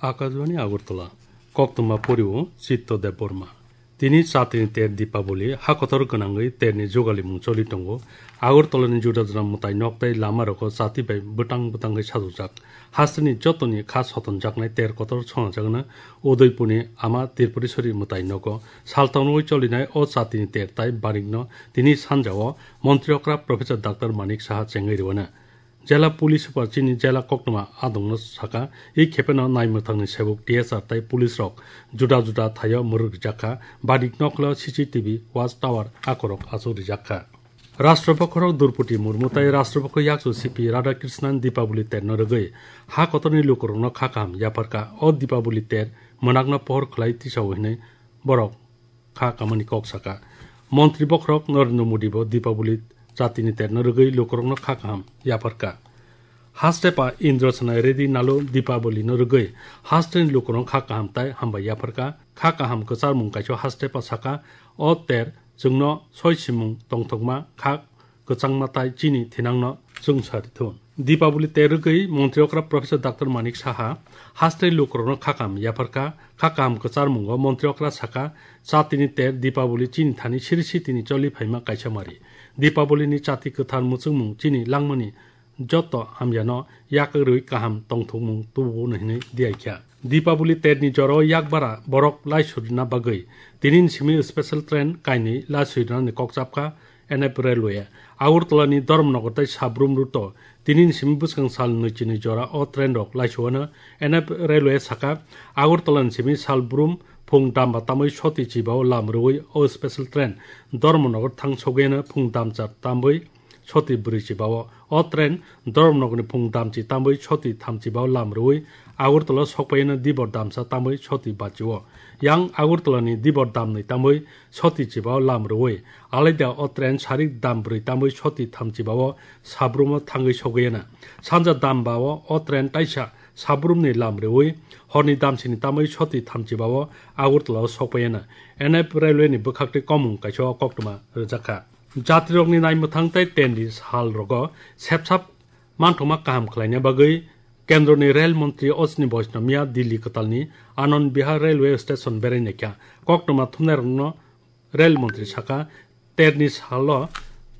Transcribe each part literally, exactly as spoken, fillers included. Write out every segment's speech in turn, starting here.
Akashbani Agartala, koktwma porio Chitto Debbarma. Tini chatini ter Dipaboli, ha kotor gwnangwi terni jugalimung choli tongo. Agartalani juda juda mwtai nok tei lama rogo chati bai bwtang bwtangwi sajokjak. Hasteni jotoni kha sotonjaknai ter kotor songjakna Udaipurni Ama Tripureshwari mwtai nogo. Saltangwi cholinai o chatini ter tai barikno tini sanjao Montri okra Professor Doctor Manik Saha chengwi rwna. Jela Police Super chini jela koktwma adongno saka, i khepeno naimwthangni sebuk T S R tai police rok juda juda thaio mwrwk rijak kha, badik noklo C C T V, watch tower akorok achuk rijak kha. Rashtrapokho rok Droupadi Murmu tai Rashtrapokho yakchu C P Radhakrishnan Dipaboli terno rwgwi ha kotorni lukurokno kha kaham yapharkha. O Dipaboli ter mwnakno pohor khlai tisao hinwi borok kha kamani kok saka. Montri bokhorok Narendra Modi bo Dipaboli chatini terno rwgwi lukurokno kha kaham yapharkha. Hastepa Indrasena Reddy nalo Dipaboli no rwgwi hasteni lukurokno kha kaham tai hambai yapharkha. Kha kaham kwcharmung kaisa hastepa saka, o ter chwngno soi simung tongthokma kha kwchangma tai chini thinangno chwngsa rithun. Dipaboli ter rwgwi Montri okra Professor Doctor Manik Saha haste lukurokno kha kaham yapharkha. Kha kaham kwcharmungo Montri okra saka, chatini ter Dipaboli chini thani siri sitini choli phaima kaisa mari. Dipabolini chati kwthar muchungmung chini langmani joto hamyano yakarwi kaham tongthokmung tubuo hinwi diyaikha. Dipaboli terni joro yakbara borok laisurina bagwi tinin simi special train kainwi laisurinani kok chapkha N F Railway. Agartalani Dharmanagar tai Sabrum route-o tinin simi bwskang sal nwichini jora o train rok laisuano N F Railway saka. Agartalani simi Salbrum phung damba tamwi soti chibao lam rwui o special train Dharmanagar thang sogwiano phung damchar tamwi soti bwrwi chibao. O train Dharmanagarni phung damchi tamwi soti thamchi bao lam rwui Agartala sokpaiano dibor damsa tamwi soti bachio. Yang Agartalani dibor damnwi tamwi soti chibao lam rwui alaida o train sarik dam bwrwi tamwi soti thamchi bao Sabrumo thangwi sogwiana. Sanja dam bao o train taisa Sabrumni lam rwui horni damsini tamwi soti thamchi bao Agartala sokpaiana. N F Railway ni bwkhaktwi komung kaisa o koktwma rwjakha. Jatirokni naimwthang tei tenri sal rogo sepsap manthokma kaham khlaina bagwi Kendroni Rel Montri Ashwini Vaishnaw miya Delhi kwtalni Anand Vihar Railway Station berai naikha. Koktwma thumnairokno Rel Montri saka, terni salo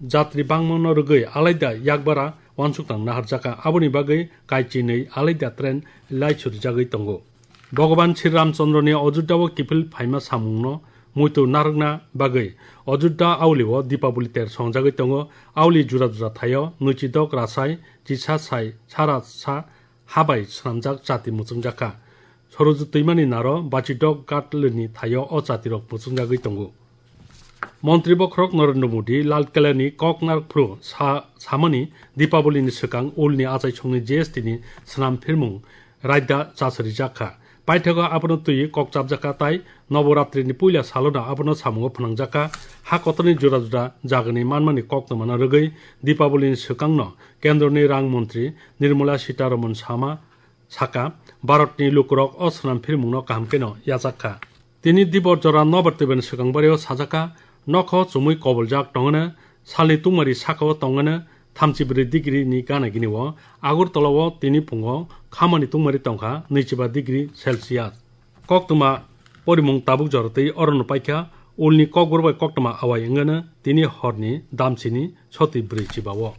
jatri bangmano rwgwi alaida yakbara uansukthang naharjakha, aboni bagwi kaichinwi alaida train laisu rijagwi tongo. Bhagavan Sri Ramchandroni Ajodhyao kiphil phaima samungno muitu narwkna bagwi Ajodhya aulio Dipaboli ter songjagwi tongo. Auli jura jura thaio nwichidok rasai chisa sai sara sa habai swnamjak chati muchungjakha. Soroju twimani naro bachidok gatlini thaio o chatirok muchungjagwi tongo. Montri bokhorok Narendra Modi Lal Kelani koknar phru sa-, samani Dipaboli ni swkang ulni achaisongni G S T ni swnam phirmung raida chasarijakha. Paithago abono twi kok chapjakha tai Noboratri ni puila salono abono samungo phwnangjakha. Ha kotorni juda juda jagani manmani koktwmano rwgwi Dipaboli ni swkangno Kendroni Rang Montri Nirmala Sitaraman sama saka, Bharatni lukurok o swnam phirmungno kaham kheno yachakkha. Tini dibor jora nobar twibani swkang bario sajakha, nokho chumui koboljak tongwno, salni tungmari sakao tongwno thamchi bwrwi degree ni gana gini o. Agartala o tini phungo khamani tungmari tongkha nwichiba degree Celsius. Koktwma porimung tabuk jora twi orono paikha, ulni kokbor bai koktwma awai wngwno tini horni damsini soti bwrwi chibao.